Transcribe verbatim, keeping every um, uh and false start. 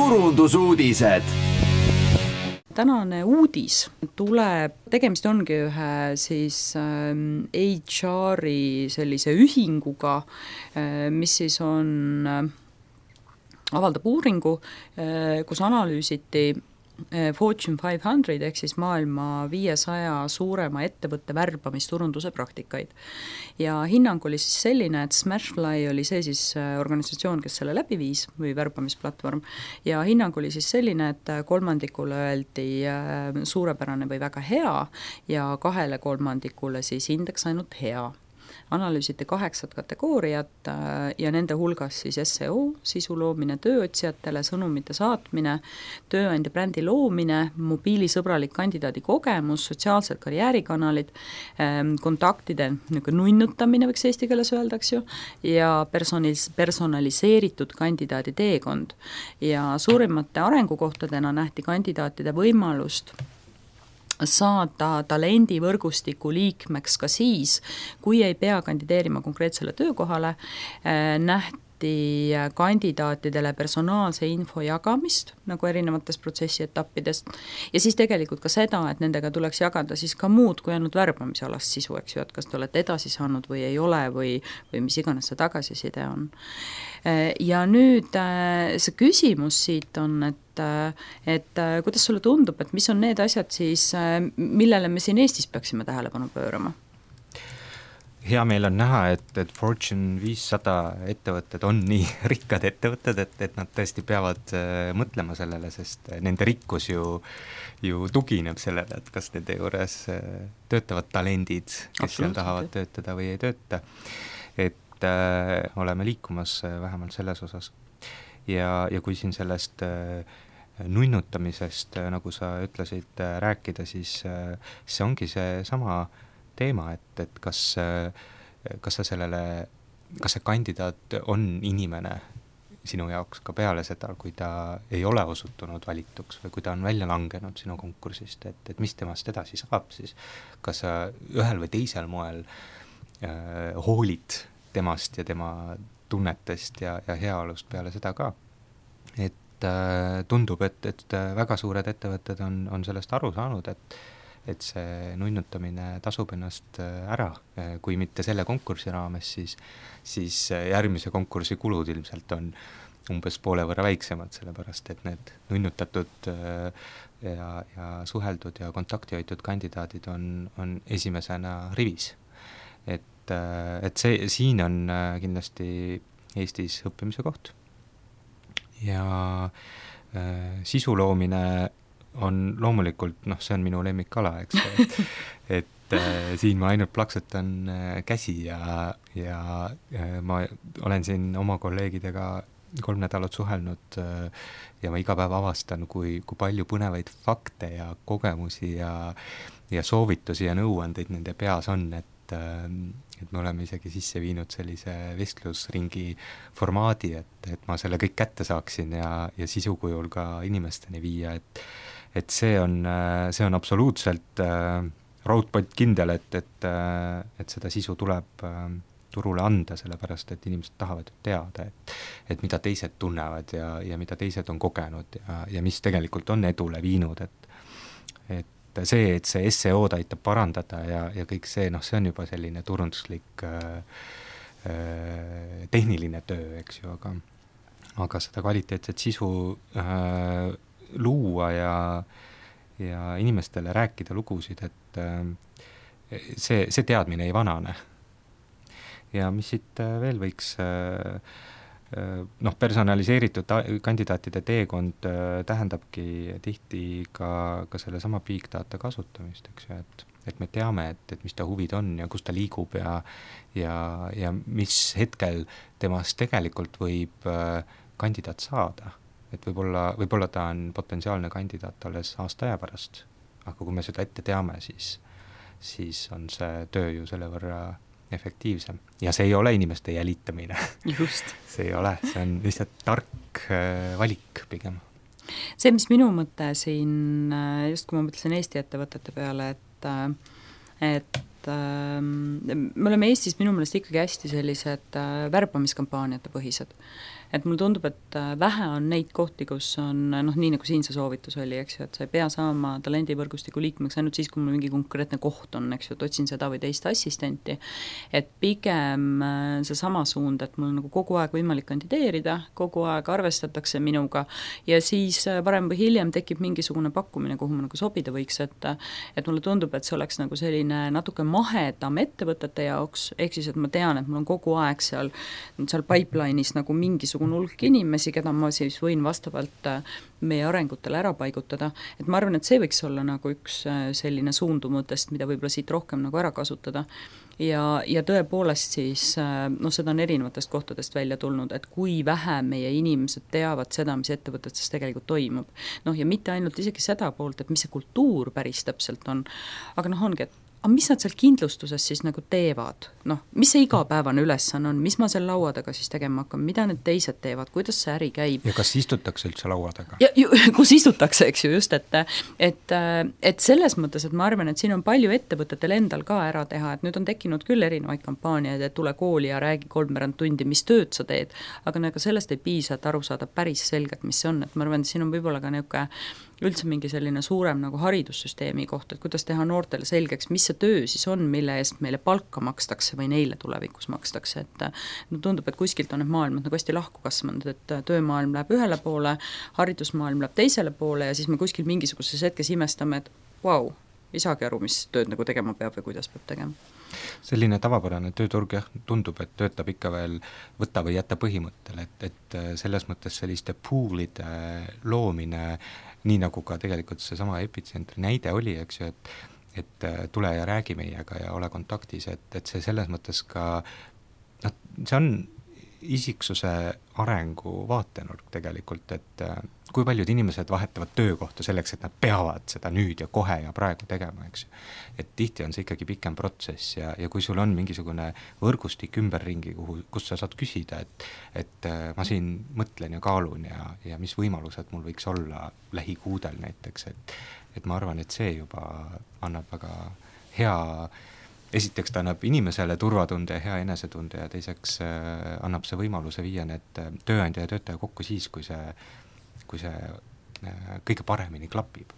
turundusuudised. Tänane uudis tuleb, tegemist ongi ühe siis H R-i sellise ühinguga, mis siis on, avaldab uuringu, kus analüüsiti Fortune viissada ehk siis maailma viiesaja suurema ettevõtte värbamisturunduse praktikaid. Ja hinnang oli siis selline, et Smashfly oli see siis organisatsioon, kes selle läbi viis või värbamisplatvorm, ja hinnang oli siis selline, et kolmandikule öeldi suurepärane või väga hea ja kahele kolmandikule siis indeks ainult hea. Analüüsiti kaheksat kategooriat ja nende hulgas siis S E O, sisu loomine tööotsijatele, sõnumite saatmine, tööandja brändi loomine, mobiilisõbralik kandidaadi kogemus, sotsiaalsed karjäärikanalid, kontaktide nunnutamine, võiks eesti keeles öeldaks ju, ja personalis- personaliseeritud kandidaadi teekond. Ja suurimate arengukohtadena nähti kandidaatide võimalust saada talendivõrgustiku liikmeks ka siis, kui ei pea kandideerima konkreetsele töökohale, nähti kandidaatidele personaalse info jagamist nagu erinevates protsessi etappidest ja siis tegelikult ka seda, et nendega tuleks jagada siis ka muud kui ainult värbamisalast sisu, eks ju, et kas te olete edasi saanud või ei ole või, või mis iganes see tagasiside on. Ja nüüd see küsimus siit on, et, et kuidas sulle tundub, et mis on need asjad siis, millele me siin Eestis peaksime tähelepanu pöörama? Hea meil on näha, et, et Fortune viissada ettevõtted on nii rikkad ettevõtted, et, et nad tõesti peavad äh, mõtlema sellele, sest nende rikkus ju, ju tugineb sellele, et kas nende juures äh, töötavad talendid, kes seal tahavad töötada või ei tööta. Et äh, oleme liikumas äh, vähemalt selles osas. Ja, ja kui siin sellest äh, nunnutamisest, äh, nagu sa ütlesid, äh, rääkida, siis äh, see ongi see sama teema, et, et kas, kas sa sellele, kas see kandidaat on inimene sinu jaoks ka peale seda, kui ta ei ole osutunud valituks või kui ta on välja langenud sinu konkursist, et, et mis temast edasi saab siis, kas sa ühel või teisel moel äh, hoolid temast ja tema tunnetest ja, ja heaolust peale seda ka. Et äh, tundub, et, et väga suured ettevõtted on, on sellest aru saanud, et et see nunnutamine tasub ennast ära, kui mitte selle konkursi raames, siis, siis järgmise konkursi kulud ilmselt on umbes poole võrra väiksemad, sellepärast et need nunnutatud ja, ja suheldud ja kontakti hoitud kandidaadid on, on esimesena rivis. Et, et see, siin on kindlasti Eestis õppimise koht. Ja äh, sisu loomine on loomulikult, noh, see on minu lemmikala, eks, et, et äh, siin ma ainult plaksutan äh, käsi ja, ja äh, ma olen siin oma kolleegidega kolm nädalat suhelnud äh, ja ma iga päev avastan, kui, kui palju põnevaid fakte ja kogemusi ja, ja soovitusi ja nõuandeid nende peas on, et, äh, et me oleme isegi sisse viinud sellise vestlusringi formaadi, et, et ma selle kõik kätte saaksin ja, ja sisukujul ka inimesteni viia, et et see on, see on absoluutselt äh, raudpott kindel, et, et, äh, et seda sisu tuleb äh, turule anda, sellepärast et inimesed tahavad teada, et, et mida teised tunnevad ja, ja mida teised on kogenud ja, ja mis tegelikult on edule viinud, et, et see, et see S E O-d aitab parandada ja, ja kõik see, noh, see on juba selline turunduslik äh, äh, tehniline töö, eks ju, aga, aga seda kvaliteetset sisu äh, luua ja, ja inimestele rääkida lugusid, et see, see teadmine ei vanane. Ja mis siit veel võiks, noh, personaliseeritud kandidaatide teekond tähendabki tihti ka, ka selle sama big data kasutamist, eks ju, et, et me teame, et, et mis ta huvid on ja kus ta liigub ja, ja, ja mis hetkel temast tegelikult võib kandidaat saada. Et võib-olla, võib-olla ta on potentsiaalne kandidaat alles aasta aja pärast, aga kui me seda ette teame, siis, siis on see töö ju selle võrra efektiivsem. Ja see ei ole inimeste jälitamine. Just. See ei ole, see on lihtsalt tark valik pigem. See, mis minu mõte siin, just kui ma mõtlesin Eesti ettevõtete peale, et, et äh, me oleme Eestis minu meelest ikkagi hästi sellised äh, värbamiskampaaniate põhised. Et mulle tundub, et vähe on neid kohti, kus on, noh, nii nagu siin see soovitus oli, eks ju, et sa ei pea saama talendivõrgustiku liikmeks ainult siis, kui mul mingi konkreetne koht on, eks ju, et otsin seda või teist assistenti, et pigem see sama suund, et mul nagu kogu aeg võimalik kandideerida, kogu aeg arvestatakse minuga ja siis varem või hiljem tekib mingisugune pakkumine, kuhu ma nagu sobida võiks, et et mulle tundub, et see oleks nagu selline natuke mahedam ettevõtete jaoks, ehk siis, et ma tean, et mul on kogu aeg seal, seal pipeline'is nagu mingisugune hulk inimesi, keda ma siis võin vastavalt meie arengutele ära paigutada, et ma arvan, et see võiks olla nagu üks selline suundumutest, mida võib-olla siit rohkem nagu ära kasutada. Ja, ja tõepoolest siis, noh, seda on erinevatest kohtadest välja tulnud, et kui vähe meie inimesed teavad seda, mis ettevõtetes tegelikult toimub. Noh, ja mitte ainult isegi seda poolt, et mis see kultuur päris täpselt on, aga noh, ongi, et aga mis nad seal kindlustuses siis nagu teevad? Noh, mis see igapäevane ülesanne on, mis ma seal laua taga siis tegema hakkan, mida need teised teevad, kuidas see äri käib? Ja kas istutakse üldse laua taga? Ja, ju, kus istutakse, eks ju, just, et, et, et selles mõttes, et ma arvan, et siin on palju ettevõtetel endal ka ära teha, et nüüd on tekkinud küll erinevaid kampaaniaid, et tule kooli ja räägi kolmveerand tundi, mis tööd sa teed, aga nagu sellest ei piisa, et aru saada päris selgelt, mis see on, et ma arvan, et siin on võib-olla ka niisugune üldse mingi selline suurem nagu haridussüsteemi koht, et kuidas teha noortele selgeks, mis see töö siis on, mille eest meile palka makstakse või neile tulevikus makstakse, et no tundub, et kuskilt on need maailmad nagu hästi lahku kasvanud, et töömaailm läheb ühele poole, haridusmaailm läheb teisele poole ja siis me kuskil mingisuguses hetkes imestame, et vau, ei saagi aru, mis tööd nagu tegema peab või kuidas peab tegema. Selline tavapärane tööturg jah, tundub, et töötab ikka veel võta või jätta põhimõttel, et, et selles mõttes selliste poolide loomine, nii nagu ka tegelikult see sama epitsentri näide oli, eks ju, et, et tule ja räägi meiega ja ole kontaktis, et, et see selles mõttes ka, noh, see on isiksuse arengu vaatenurk tegelikult, et kui paljud inimesed vahetavad töökohta selleks, et nad peavad seda nüüd ja kohe ja praegu tegema, eks ju. Et tihti on see ikkagi pikem protsess ja, ja kui sul on mingisugune võrgustik ümberringi, kuhu, kus sa saad küsida, et, et ma siin mõtlen ja kaalun ja, ja mis võimalused mul võiks olla lähikuudel näiteks, et, et ma arvan, et see juba annab väga hea, esiteks ta annab inimesele turvatunde ja hea enesetunde ja teiseks äh, annab see võimaluse viia need tööandja ja töötaja kokku siis, kui see kui see kõige paremini klapib.